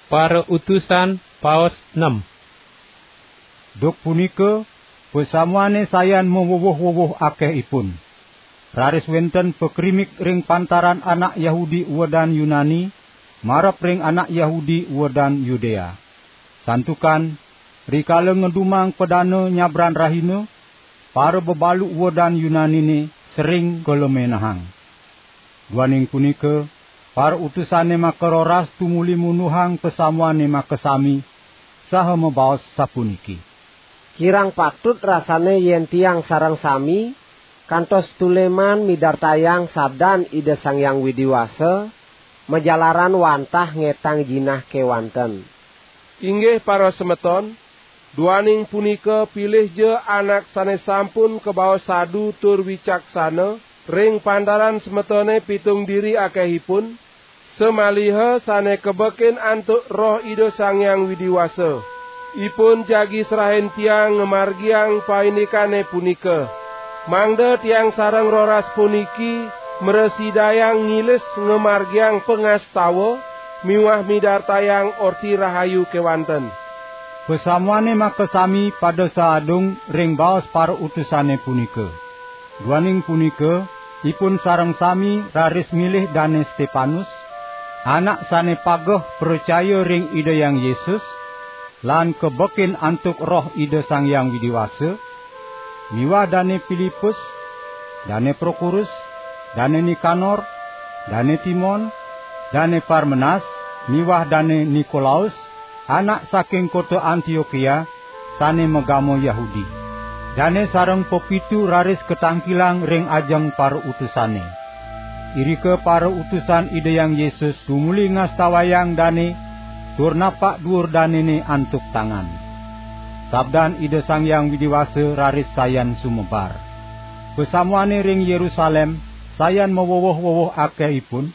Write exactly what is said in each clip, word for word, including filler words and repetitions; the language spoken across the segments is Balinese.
Para Utusan, paos nem. Duk punika, pasamuane sayan mawuwuh-wuwuh akehipun. Raris wenten pakrimik ring pantaran anak Yahudi uwedan Yunani, marep ring anak Yahudi uwedan Yudea. Santukan, rikala ngedumang padana nyabran rahina, para bebalu uwedan Yunanine sering kalemenehang. Duaning punika, para utusane makaroras tumuli munduhang pasamuane makasami, saha mabaos sapuniki: "Kirang patut rasane yen tiang sareng sami kantos tuleman midartayang sabdan Ida Sang Hyang Widi Wasa, majalaran wantah ngetang jinah kewanten. Inggih para semeton, duaning punika pilihja anak sane sampun kabaos sadu tur wicaksana ring pantaran semetone pitung diri akehipun, samaliha sane kabekin antuk Roh Ida Sang Hyang Widi Wasa. Ipun jagi serahin tiang ngamargiang paindikane punika, mangda tiang sareng roras puniki mrasidayang ngilis ngamargiang pangastawa miwah midartayang Orti Rahayu kewanten." Pasamuane makasami pada saadung ring baos para utusane punika. Duaning punika, ipun sareng sami raris milih Dane Stepanus, anak sane pageh pracaya ring Ida Hyang Yesus, lan kabekin antuk Roh Ida Sang Hyang Widi Wasa, miwah Dane Pilipus, Dane Prokorus, Dane Nikanor, Dane Timon, Dane Parmenas, miwah Dane Nikolaus, anak saking kota Antiokia, sane magama Yahudi. Dane sareng pepitu raris katangkilang ring ajeng para utusane. Irika para utusan Ida Hyang Yesus tumuli ngastawayang dane, tur napak duur danene antuk tangan. Sabdan Ida Sang Hyang Widi Wasa raris sayan sumebar. Pasamuane ring Yerusalem sayan maweweh-weweh akehipun,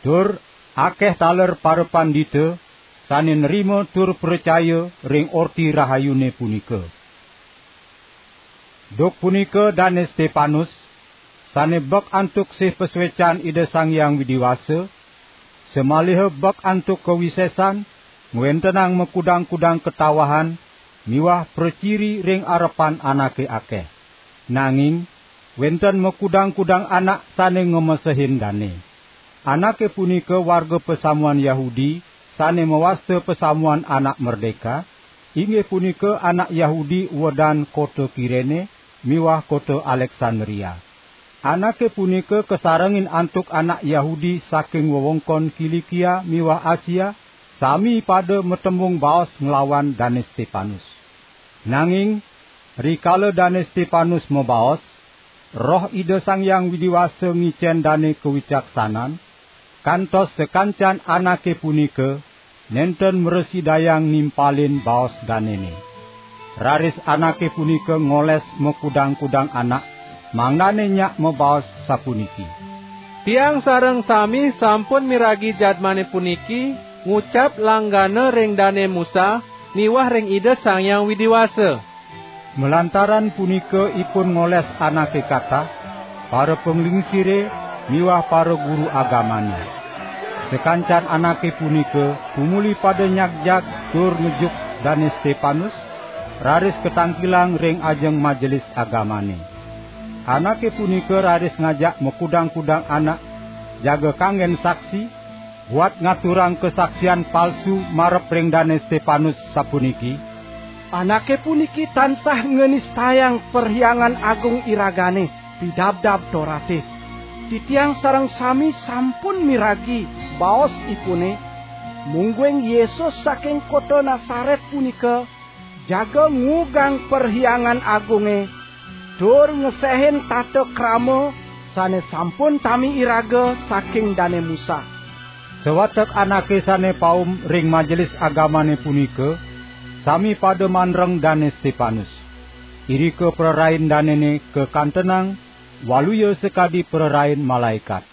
tur akeh taler parapandita sane nrima tur pracaya ring Orti Rahayune punika. Duk punika Dane Stepanus, sane bek antuk sih pasuecan Ida Sang Hyang Widi Wasa, samaliha bek antuk kawisesan ngwentenang makudang-kudang katawahan miwah praciri ring arepan anake akeh. Nanging wenten makudang-kudang anak sane ngamesehin dane. Anake punika warga pasamuan Yahudi sane mawasta Pasamuan Anak Merdeka, inggih punika anak Yahudi uwedan kota Kirene miwah kota Aleksandria. Anake punika kasarengin antuk anak Yahudi saking wewengkon Kilikia miwah Asia, sami pada matembung baos nglawan Dane Stepanus. Nanging rikala Dane Stepanus mabaos, Roh Ida Sang Hyang Widi Wasa ngicen dane kawicaksanan, kantos sakancan anake punika nenten mrasidayang nimpalin baos danene. Raris anake punika ngoles makudang-kudang anak, mangdane nyak mabaos sapuniki: "Tiang sareng sami sampun miragi jadmane puniki ngucap langgana ring Dane Musa miwah ring Ida Sang Hyang Widi Wasa." Malantaran punika ipun ngoles anake katah, para panglingsire miwah para guru agamane. Sakancan anake punika tumuli pada nyagjag tur ngejuk Dane Stepanus, raris katangkilang ring ajeng majelis agamane. Anake punika raris ngajak makudang-kudang anak jaga kanggen saksi, buat ngaturang kasaksian palsu marep ring Dane Stepanus sapuniki: "Anake puniki tansah nganistayang Perhyangan Agung iragane, Pidabdab Torate. Titiang sareng sami sampun miragi baosipune, mungguing Yesus saking kota Nasaret punika jaga ngugang Perhyangan Agunge, tur ngesehin tata krama sane sampun tami iraga saking Dane Musa." Sawatek anake sane paum ring majelis agamane punika sami pada mandreng Dane Stepanus. Irika prarain danene kakantenang, waluya sakadi prarain malaekat.